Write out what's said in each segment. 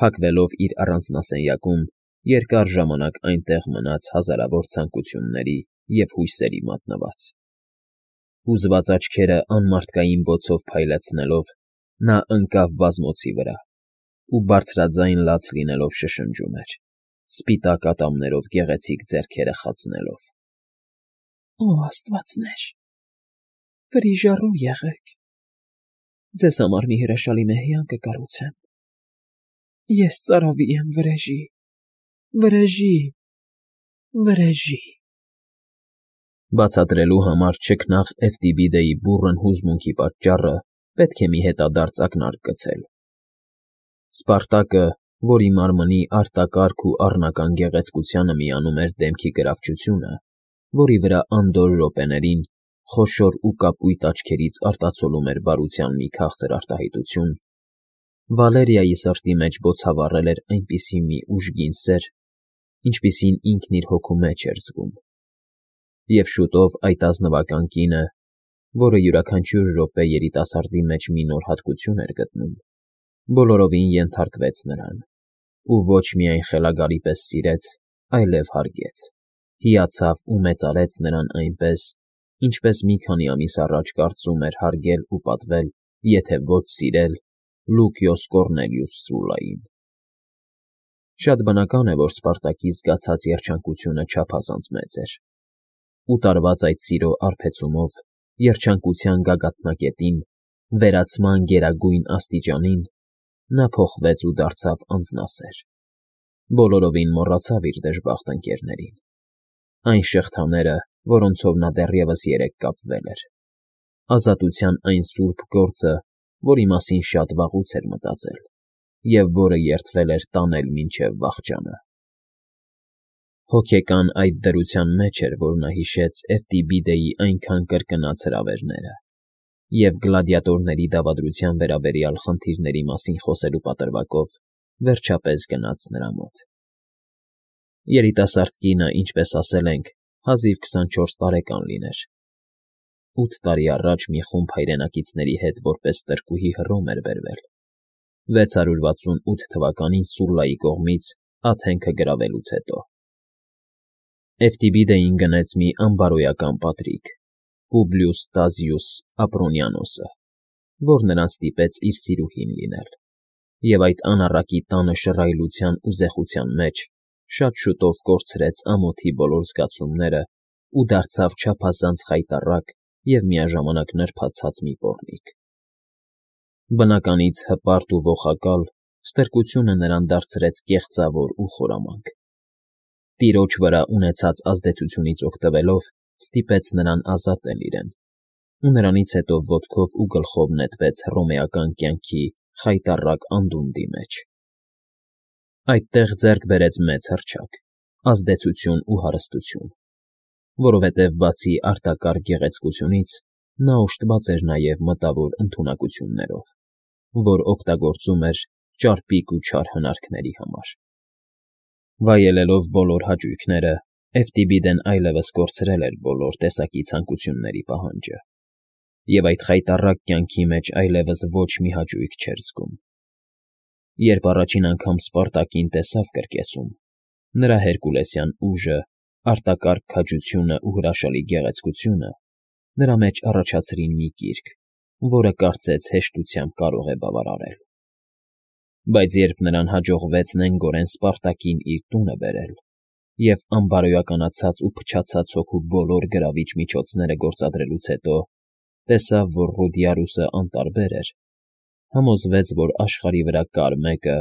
Փակվելով իր առանձնասենյակում, երկար ժամանակ այնտեղ մնաց հազարավոր ցանկությունների և հույսերի մատնված։ Հուզված աչքերը անմարդկային բոցով փայլեցնելով, նա ընկավ բազմոցի վրա ու բարձրաձայն լաց լինելով շշնջում էր, սպիտակ ատամներով գեղեցիկ ձեռքերը խացնելով. «Օ աստվածներ, վրիժառու եղեք, ձեզ համար մի հրաշալի մեհյան կկառուցեմ, ես ծարավի եմ վրեժի, վրեժի, վրեժի»։ Բացատրելու համար չքնաղ Էվտիբիդեի բուռն հուզմունքի պատճառը պետք է մի հետադարձ ակնարկ գցել։ Սպարտակը, որի մարմնի արտակարգ ու առնական գեղեցկությանը միանում էր դեմքի գրավչությունը, որի վրա անդորր րոպեներին խոշոր ու կապույտ աչքերից արտացոլում էր բարության մի քաղցր արտահայտություն, Վալերիայի սրտի մեջ բոցավառել էր այնպիսի մի ուժգին սեր, ինչպիսին ինքն իր հոգու մեջ էր զգում։ Եվ շուտով այդ ազնվական կինը, որը յուրաքանչյուր րոպե երիտասարդի մեջ մի նոր հատկություն էր գտնում, բոլորովին ենթարկվեց նրան, ու ոչ միայն խելագարի պես սիրեց, այլև հարգեց, հիացավ ու մեծարեց նրան այնպես, ինչպես մի քանի ամիս առաջ կարծում էր հարգել ու պատվել, եթե ոչ սիրել, Լուկիոս Կոռնելիուս Սուլլային։ Շատ բնական է, որ Սպարտակի զգացած երջանկությունը չափազանց մեծ էր, ու տարված այդ սիրո արբեցումով, երջանկության գագաթնակետին, վերացման գերագույն աստիճանին, նա փոխվեց ու դարձավ անձնասեր, բոլորովին մոռացավ իր դժբախտ ընկերներին, այն շղթաները, որոնցով նա դեռևս երեկ կապվել էր, ազատության այն սուրբ գործը, որի մասին շատ վաղուց էր մտածել և որը երդվել էր տանել մինչև վախճանը։ Հոգեկան այդ դրության մեջ էր, որ նա հիշեց Էվտիբիդեի այնքան կրկնած հրավերները և գլադիատորների դավադրության վերաբերյալ խնդիրների մասին խոսելու պատրվակով վերջապես գնաց նրա մոտ։ Երիտասարդ կինը, ինչպես ասել ենք, հազիվ 24 տարեկան լիներ։ 8 տարի առաջ մի խումբ հայրենակիցների հետ որպես տրկուհի Հռոմ էր բերվել, 668 թվականին Սուլլայի կողմից Աթենքը գրավելուց հետո։ Էվտիբիդեին գնեց մի անբարոյական պատրիկ՝ Պուբլիուս Տազիուս Ապրոնիանոսը, որ նրան ստիպեց իր սիրուհին լինել, և այդ անառակի տանը շռայլության ու զեխության մեջ շատ շուտով կորցրեց ամոթի բոլոր զգացումները ու դարձավ չափազանց խայտառակ և միաժամանակ նրբացած մի պոռնիկ։ Բնականից հպարտ ու ողակալ, ստրկությունը նրան դարձրեց կեղծավոր ու խորամանկ։ Տիրոջ վրա ունեցած ազդեցությունից օգտվելով ստիպեց նրան ազատել իրեն, ու նրանից հետո ոտքով ու գլխով նետվեց հռոմեական կյանքի խայտառակ անդունդի մեջ։ Այդտեղ ձեռք բերեց մեծ հռչակ, ազդեցություն ու հարստություն, որովհետև բացի արտակարգ գեղեցկությունից, նա օժտված էր նաև մտավոր ընդունակություններով, որ օգտագործում էր ճարպիկ ու չար հնարքների համար։ Վայելելով բոլոր հաճույքները, Էվտիբիդեն այլևս կորցրել էր բոլոր տեսակի ցանկությունների պահանջը, և այդ խայտառակ կյանքի մեջ այլևս ոչ մի հաճույք չէր զգում։ Երբ առաջին անգամ Սպարտակին տեսավ կրկեսում, նրա հերկուլեսյան ուժը, արտակարգ քաջությունն ու հրաշալի գեղեցկությունը նրա մեջ առաջացրին մի կիրք, որը կարծեց հեշտությամբ կարող է բավարարել։ Բայց երբ նրան հաջողվեց նենգորեն Սպարտակին իր տունը բերել և անբարոյականացած ու փչացած հոգու բոլոր գրավիչ միջոցները գործադրելուց հետո տեսավ, որ Ռուդիարուսը անտարբեր էր, համոզվեց, որ աշխարհի վրա կար մեկը,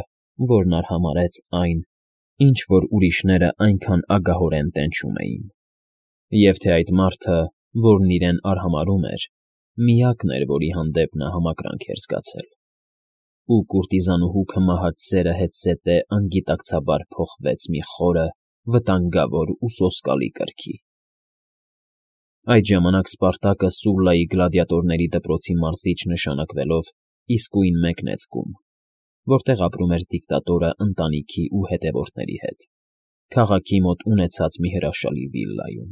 որն արհամարհեց այն, ինչ որ ուրիշները այնքան ագահորեն տենչում էին, և թե այդ մարդը, որն իրեն արհամարհում էր, միակն էր, որի հանդեպ նա համակրանք էր զգացել, ու կուրտիզանուհու քմահաճ սերը հետզհետե անգիտակցաբար փոխվեց մի խորը, վտանգավոր ու սոսկալի կրքի։ Այդ ժամանակ Սպարտակը Սուլլայի գլադիատորների դպրոցի մարզիչ նշանակվելով իսկույն մեկնեց կում, որտեղ ապրում էր դիկտատորը ընտանիքի ու հետևորդների հետ, քաղաքի մոտ ունեցած մի հրաշալի վիլլայում։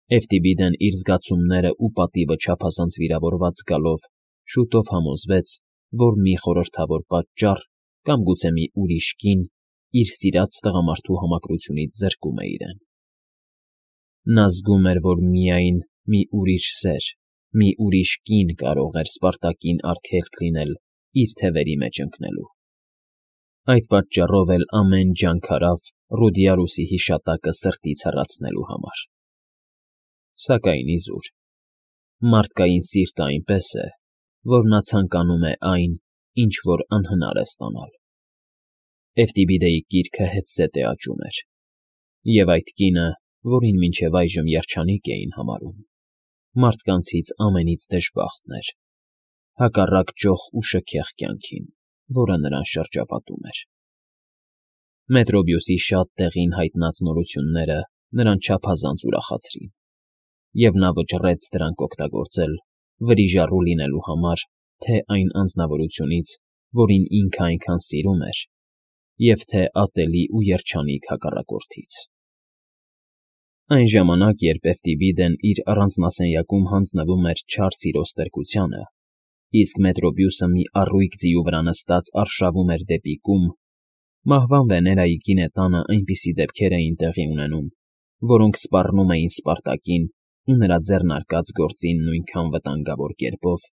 Էվտիբիդեն իր զգացումները ու պատիվը չափազանց վիրավորված զգալով շուտով համոզվեց, որ մի խորհրդավոր պատճառ կամ գուցե մի ուրիշ կին իր սիրած տղամարդու համակրությունից զրկում է իրեն։ Նա զգում էր, որ միայն մի ուրիշ սեր, մի ուրիշ կին կարող էր Սպարտակին արգելք լինել իր թևերի մեջ ընկնելու։ Այդ պատճառով էլ ամեն ջանք արավ Ռուդիարուսի հիշատակը սրտից հեռացնելու համար։ Սակայն իզուր, մարդկային սիրտը այնպես է, որ նա ցանկանում է այն, ինչ որ անհնար է ստանալ։ Էֆտիբիդեի կիրքը հետզհետե աճում էր, և այդ կինը, որին մինչև այժմ երջանիկ էին համարում, մարդկանցից ամենից դժբախտն էր, հակառակ ճոխ ու շքեղ կյանքին, որը նրան շրջապատում էր։ Մետրոբիուսի շատ տեղին հայտնած նորությունները նրան չափազանց ուրախացրին, և նա վճռեց դրանք օգտագործել վրիժառու լինելու համար թե այն անձնավորությունից, որին ինքը այնքան սիրում էր, և թե ատելի ու երջանիկ հակառակորդից։ Այն ժամանակ, երբ Էֆտիբիդեն իր առանձնասենյակում հանձնվում էր չար սիրո ստրկությանը, իսկ Մետրոբիուսը մի առույգ ձիու վրա նստած արշավում էր դեպի կում, մահվան Վեներայի գինետանը այնպիսի դեպքեր էին տեղի ունենում, որոնք սպառնում էին Սպարտակին ու նրա ձեռնարկած գործին նույնքան վտանգավոր կերպով,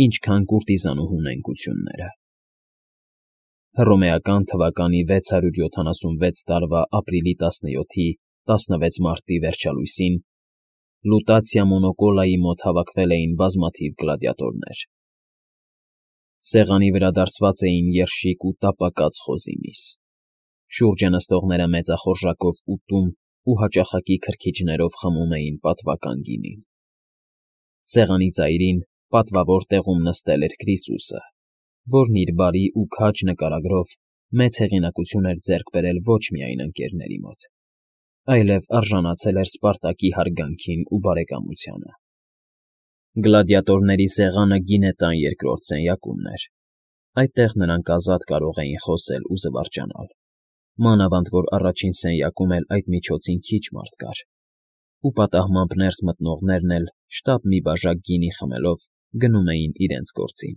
ինչքան կուրտիզանուհու նենգությունները։ Հռոմեական թվականի 676 տարվա ապրիլի 17-ի 16 մարտի վերջալույսին Լուտացիա Մոնոկոլայի մոտ հավաքվել էին բազմաթիվ գլադիատորներ։ Սեղանի վրա դարսված էին երշիկ ու տապակած խոզի միս։ Շուրջը նստողները մեծախորժակով ուտում ու հաճախակի քրքիջներով խմում էին պատվական գինին։ Սեղանի ծայրին պատվավոր տեղում նստել էր Կրիսուսը, որն իր բարի ու քաջ նկարագրով մեծ հեղինակություն էր ձեռք բերել ոչ միայն ընկերների մոտ, այլև արժանացել էր Սպարտակի հարգանքին ու բարեկամությանը։ Գլադիատորների սեղանը գինետան երկրորդ սենյակումն էր։ Այդտեղ նրանք ազատ կարող էին խոսել ու զվարճանալ, մանավանդ որ առաջին սենյակում էլ այդ միջոցին քիչ մարդ կար, ու պատահմամբ ներս մտնողներն էլ շտապ մի բաժակ գինի խմելով գնում էին իրենց գործին։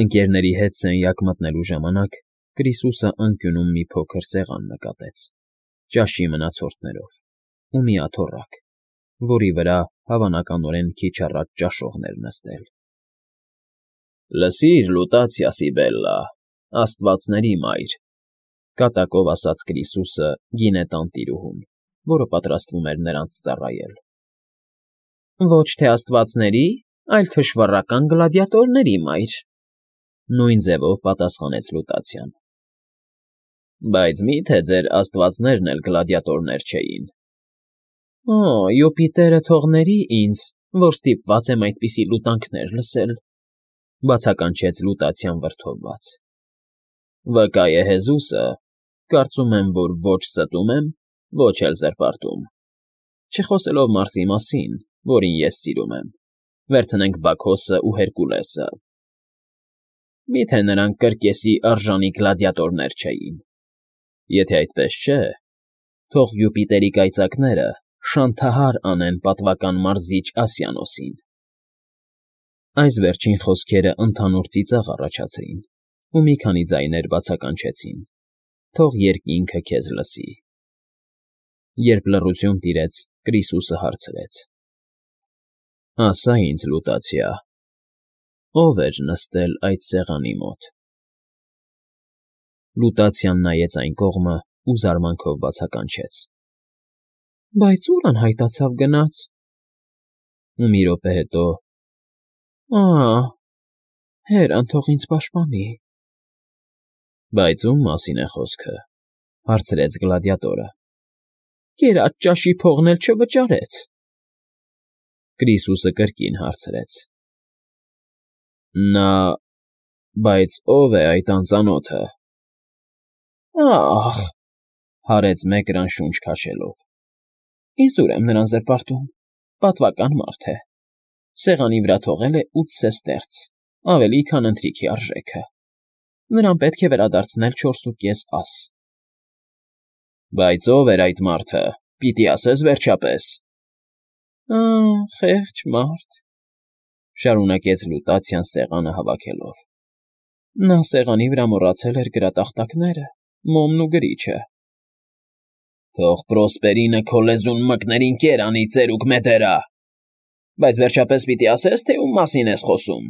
Ընկերների հետ սենյակ մտնելու ժամանակ Կրիսուսը անկյունում մի փոքր սեղան նկատեց, ճաշի մնացորդներով, ու մի աթոռակ, որի վրա հավանականորեն քիչ առաջ ճաշողն էր նստել։ «Լսիր, Լուտացիա Սիբելլա, աստվածների մայր,֊ կատակով ասաց Կրիսուսը գինետան տիրուհուն, որը պատրաստվում էր նրանց ծառայել։ Ոչ թե աստվածների, այլ թշվառական գլադիատորների մայր,֊ նույն ձևով պատասխանեց Լուտացիան։ Բայց մի՞թե ձեր աստվածներն էլ գլադիատորներ չէին։ Օ, Յուպիտերը թողների ինձ, որ ստիպված եմ այդպիսի լուտանքներ լսել,֊ բացականչեց Լուտացիան վրդովված։ Վկա է Հեզուսը, կարծում եմ, որ ոչ ստում եմ, ոչ էլ զրպարտում, չխոսելով Մարսի մասին, որին ես սիրում եմ, վերցնենք Բաքոսը ու Հերկուլեսը։ Մի՞թե նրանք կրկեսի արժանի գլադիատորներ չէին։ Եթե այդպես չէ, թող Յուպիտերի կայծակները շանթահար անեն պատվական մարզիչ Ասիանոսին։ Այս վերջին խոսքերը ընդհանուր ծիծաղ առաջացրին, ու մի քանի ձայներ բացականչեցին. թող երկինքը քեզ լսի։ Երբ լռություն տիրեց, Կրիսուսը հարցրեց. Ասա ինձ, Լուտացիա, ո՞վ էր նստել այդ սեղանի մոտ։ Լուտացիան նայեց այն կողմը ու զարմանքով բացականչեց. Բայց ո՞ւր անհայտացավ գնաց։ Ու մի րոպե հետո. Հերան թող ինձ պաշտպանի։ Բայց ո՞ւմ մասին է խոսքը,֊ հարցրեց գլադիատորը։ Կերած ճաշի փողն էլ չվճարեց։ Կրիսուսը կրկին հարցրեց. Նա… Բայց ո՞վ է այդ անծանոթը։ Ա՜խ,֊ հարեց Մեկրան շունչ քաշելով։ Իզուր եմ նրան զրպարտում, պատվական մարդ է։ Սեղանի վրա թողել է 8 սեստերց, ավելի, քան ընթրիքի արժեքը։ Նրան պետք է վերադարձնել 4.5 աս։ Բայց ո՞վ էր այդ մարդը, պիտի ասես վերջապես։ Խեղճ մարդ,֊ շարունակեց Լուտացիան սեղանը հավաքելով։ Նա սեղանի վրա մոռացել էր գրատախտակները, մոմն ու գրիչը։ Թող Պրոսպերինը քո լեզուն մկներ ինկեր անի, ծերուկ մետերա։ Բայց վերջապես պիտի ասես, թե ում մասին ես խոսում,֊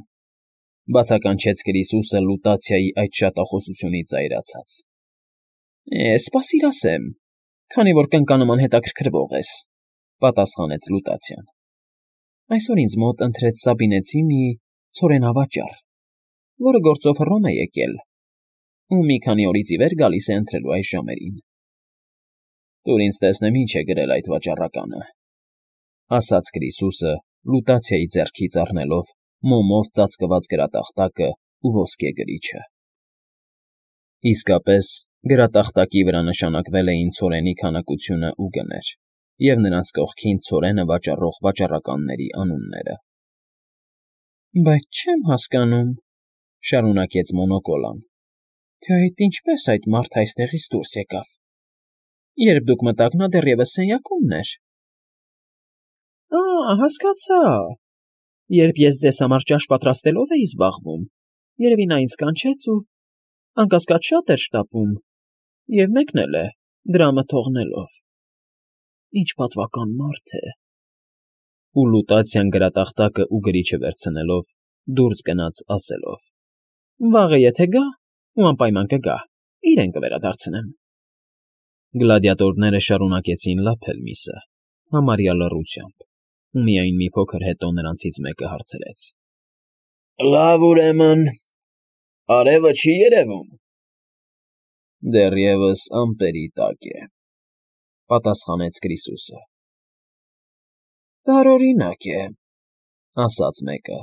բացականչեց Կրիսուսը Լուտացիայի այդ շատախոսությունից զայրացած։ Սպասիր ասեմ, քանի որ կնկանման հետաքրքրվող ես,֊ պատասխանեց Լուտացիան։ Այսօր ինձ մոտ ընտրեց Սաբինեցի մի ցորենավաճառ, որը գործով Հռոմ է եկել, ու մի քանի օրից ի վեր գալիս է ընտրելու այս ժամերին։ Տուր ինձ տեսնեմ ինչ է գրել այդ վաճառականը,֊ ասաց Կրիսուսը, Լուտացիայի ձեռքից առնելով մոմով ծածկված գրատախտակը ու ոսկե գրիչը։ Իսկապես, գրատախտակի վրա նշանակվել էին ցորենի քանակությունը ու գներ, և նրանց կողքին ցորենը վաճառող վաճառականների անունները։ Բայց չեմ հասկանում,֊ շարունակեց Մոնոկոլան,֊ թե այդ ինչպես այդ մարդը այստեղից դուրս եկավ։ Երբ դուք մտաք, նա դեռևս սենյակումն էր։ Հասկացա։ Երբ ես ձեզ համար ճաշ պատրաստելով էի զբաղվում, երևի նա ինձ կանչեց ու անկասկած շատ էր շտապում, և մեկնել է, դրամը թողնելով։ Ինչ պատվական մարդ է։ Ու Լուտացիան գրատախտակը ու գրիչը վերցնելով դուրս գնաց ասելով. Վաղը եթե գա, ու անպայման կգա, իրեն կվերադարձնեմ։ Գլադիատորները շարունակեցին լափել միսը, համարյա լռությամբ, ու միայն մի փոքր հետո նրանցից մեկը հարցրեց. Լավ, ուրեմն, արևը չի երևում։ Դեռևս ամպերի տակ է,֊ պատասխանեց Կրիսուսը։ Տարօրինակ է,֊ ասաց մեկը։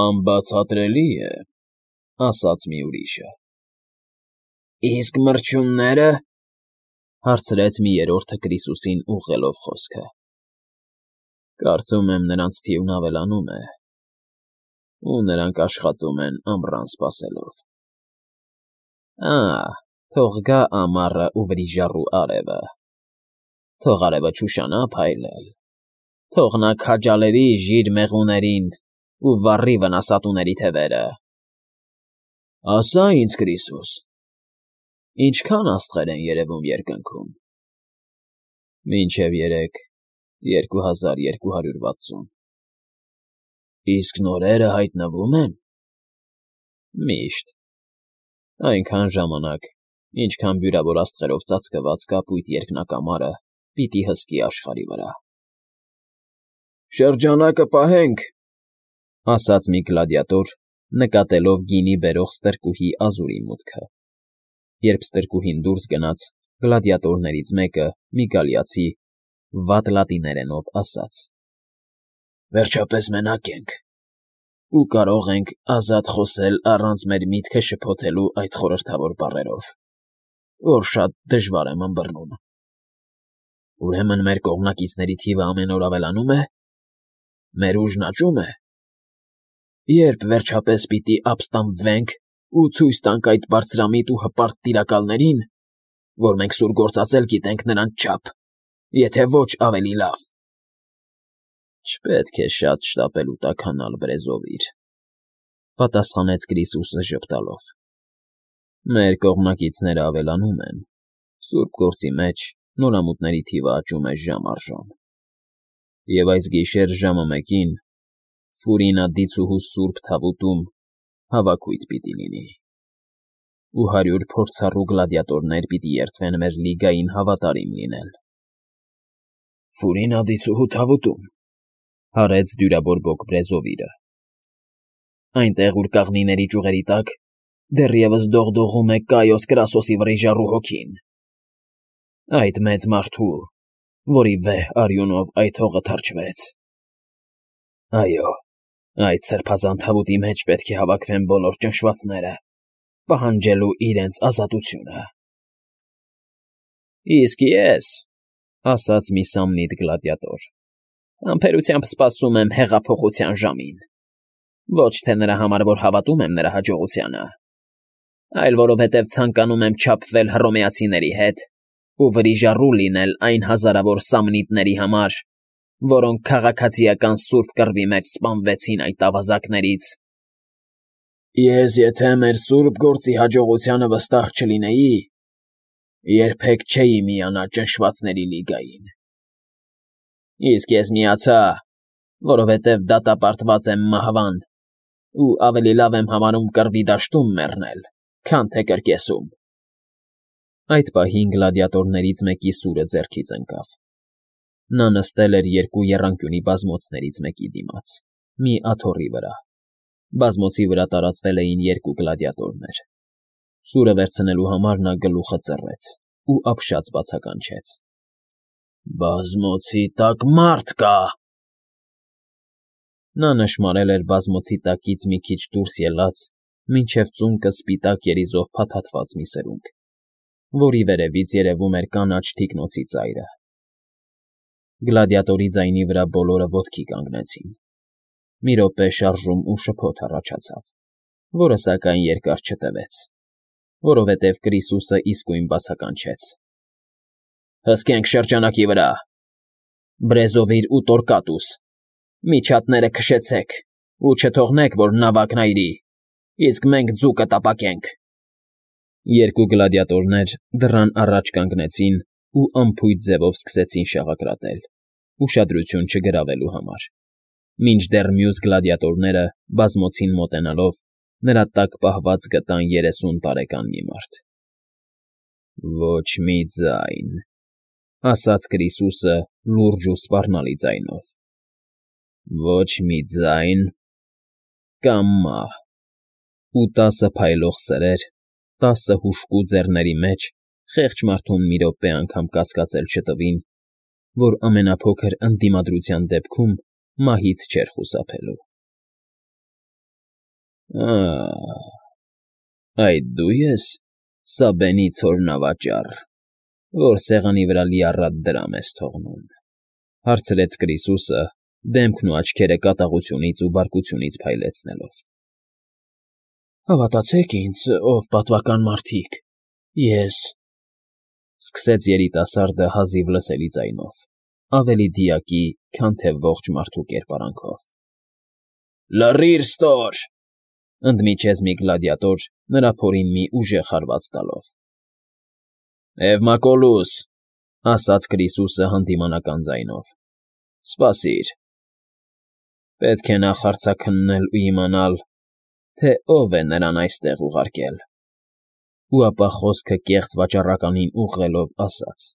Անբացատրելի է,֊ ասաց մի ուրիշը։ Իսկ մրջյունները,֊ հարցրեց մի երրորդը Կրիսուսին ուղղելով խոսքը։ Կարծում եմ, նրանց թիվն ավելանում է, ու նրանք աշխատում են ամռան սպասելով։ Թող գա ամառը ու վրիժառու արևը, թող արևը չուշանա փայլել, թող նա քաջալերի ժիր մեղուներին ու վառի վնասատուների թևերը։ Ասա ինձ, Կրիսուս, ինչքան աստղեր են երևում երկնքում։ Մինչև 3260։ Իսկ նորերը հայտնվում են։ Միշտ։ Այնքան ժամանակ, ինչքան բյուրավոր աստղերով ծածկված կապույտ երկնակամարը պիտի հսկի աշխարհի վրա։ Շրջանակը պահենք,֊ ասաց մի գլադիատոր, նկատելով գինի բերող ստրկուհի Ազուրի մուտքը։ Երբ ստրկուհին դուրս գնաց, գլադիատորներից մեկը, մի գալիացի, վատ լատիներենով ասաց. Վերջապես մենակ ենք, ու կարող ենք ազատ խոսել առանց մեր միտքը շփոթելու այդ խորհրդավոր բառերով, որ շատ դժվար եմ ըմբռնում։ Ուրեմն մեր կողմնակիցների թիվը ամեն օր ավելանում է։ Մեր ուժն աճում է։ Երբ վերջապես պիտի ապստամբվենք ու ցույց տանք այդ բարձրամիտ ու հպարտ տիրակալներին, որ մենք սուր գործածել գիտենք նրանց չափ, եթե ոչ ավելի լավ։ Չպետք է շատ շտապել ու տաքանալ, Բրեզովիր,֊ պատասխանեց Կրիսուսը ժպտալով։ Մեր կողմնակիցները ավելանում են, սուրբ գործի մեջ նորամուտների թիվը աճում է ժամ առ ժամ։ Եվ այս գիշեր ժամը 1-ին Ֆուրինա դիցուհու սուրբ թավուտում հավաքույթ պիտի լինի, ու 100 փորձառու գլադիատորներ պիտի երդվեն մեր լիգային հավատարիմ լինել։ Ֆուրինա դիցուհու թավուտում,֊ հարեց դյուրաբորբոք Բրեզովիրը։ Այնտեղ, ուր կաղնիների ճյուղերի տակ դեռևս դողդողում է Կայոս Կրասոսի վրիժառու հոգին։ Այդ մեծ մարդու, որի վեհ արյունով այդ հողը թրջվեց։ Այո, այդ սրբազան թավուտի մեջ պետք է հավաքվեն բոլոր ճնշվածները, պահանջելու իրենց ազատությունը։ Իսկ ես,֊ ասաց մի Սամնիտ գլադիատոր, համբերությամբ սպասում եմ հեղափոխության ժամին, ոչ թե նրա համար, որ հավատում եմ նրա հաջողությանը, այլ որովհետև ցանկանում եմ չափվել հռոմեացիների հետ ու վրիժառու լինել այն հազարավոր Սամնիտների համար, որոնք քաղաքացիական սուրբ կռվի մեջ սպանվեցին այդ ավազակներից։ Ես եթե մեր սուրբ գործի հաջողությանը վստահ չլինեի, երբեք չէի միանա ճնշվածների լիգային։ Իսկ ես միացա, որովհետև դատապարտված եմ մահվան ու ավելի լավ եմ համարում կռվի դաշտում մեռնել, քան թե կրկեսում։ Այդ պահին գլադիատորներից մեկի սուրը ձեռքից ընկավ։ Նա նստել էր երկու եռանկյունի բազմոցներից մեկի դիմաց, մի աթոռի վրա։ Բազմոցի վրա տարածվել էին երկու գլադիատորներ։ Սուրը վերցնելու համար նա գլուխը ծռեց ու ապշած բացականչեց. «Բազմոցի տակ մարդ կա»։ Նա նշմարել էր բազմոցի տակից մի քիչ դուրս ելած, մինչև ծունկը սպիտակ երիզով փաթաթված մի սրունք, որի վերևից երևում էր կանաչ թիկնոցի ծայրը։ Գլադիատորի ձայնի վրա բոլորը ոտքի կանգնեցին։ Մի րոպե շարժում ու շփոթ առաջացավ, որը սակայն երկար չտևեց, որովհետև Կրիսուսը իսկույն բացականչեց. «Հսկենք շրջանակի վրա, Բրեզովիր ու Տորկատուս, միջատները քշեցեք ու չթողնեք, որ նավակն այրի, իսկ մենք ձուկը տապակենք»։ Երկու գլադիատորներ դռան առաջ կանգնեցին ու անփույթ ձևով սկսեցին շաղակրատել, ուշադրություն չգրավելու համար, մինչդեռ մյուս գլադիատորները, բազմոցին մոտենալով, նրա տակ պահված գտան 30 տարեկան մի մարդ։ «Ոչ մի ձայն», ասաց Կրիսուսը լուրջ ու սպառնալի ձայնով, «ոչ մի ձայն կամ մահ»։ Ու 10 փայլող սրեր, 10 հուժկու ձեռների մեջ խեղճ մարդուն մի րոպե անգամ կասկածել չտվին, որ ամենափոքր ընդդիմադրության դեպքում մահից չէր խուսափելու։ Այդ դու ես, Սաբենի ցոր նավաճառ, որ սեղանի վրա լիառատ դրամ ես թողնում,֊ հարցրեց Կրիսուսը, դեմքն ու աչքերը կատաղությունից ու բարկությունից փայլեցնելով։ «Հավատացեք ինձ, ով պատվական մարդիկ, ես…֊ սկսեց երիտասարդը հազիվ լսելի ձայնով, ավելի դիակի, քան թե ողջ մարդու կերպարանքով։ «Լռիր, ստոր…֊ ընդմիջեց մի գլադիատոր, նրա փորին մի ուժեղ հարված տալով։ «Էվմակոլուս», ասաց Կրիսուսը հանդիմանական ձայնով, «սպասիր… Պետք է նախ հարցաքննել ու իմանալ, թե ով է նրան այստեղ ուղարկել»։ Ու ապա խոսքը կեղծ վաճառականին ուղղելով ասաց.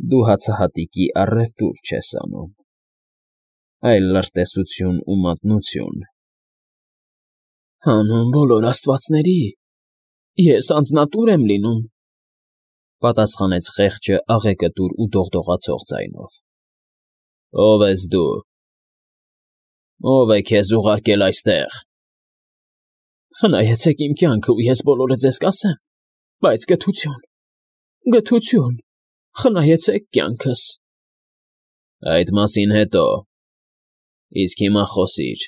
«Դու հացահատիկի առևտուր չես անում, այլ լրտեսություն ու մատնություն»։ «Հանուն բոլոր աստվածների, ես անձնատուր եմ լինում,֊ պատասխանեց խեղճը աղեկտուր ու դողդողացող ձայնով։ «Ո՞վ ես դու, ո՞վ է քեզ ուղարկել այստեղ»։ «Խնայեցեք իմ կյանքը, ու ես բոլորը ձեզ կասեմ, բայց գթություն, գթություն, խնայեցեք կյանքս»։ «Այդ մասին հետո, իսկ հիմա խոսիր,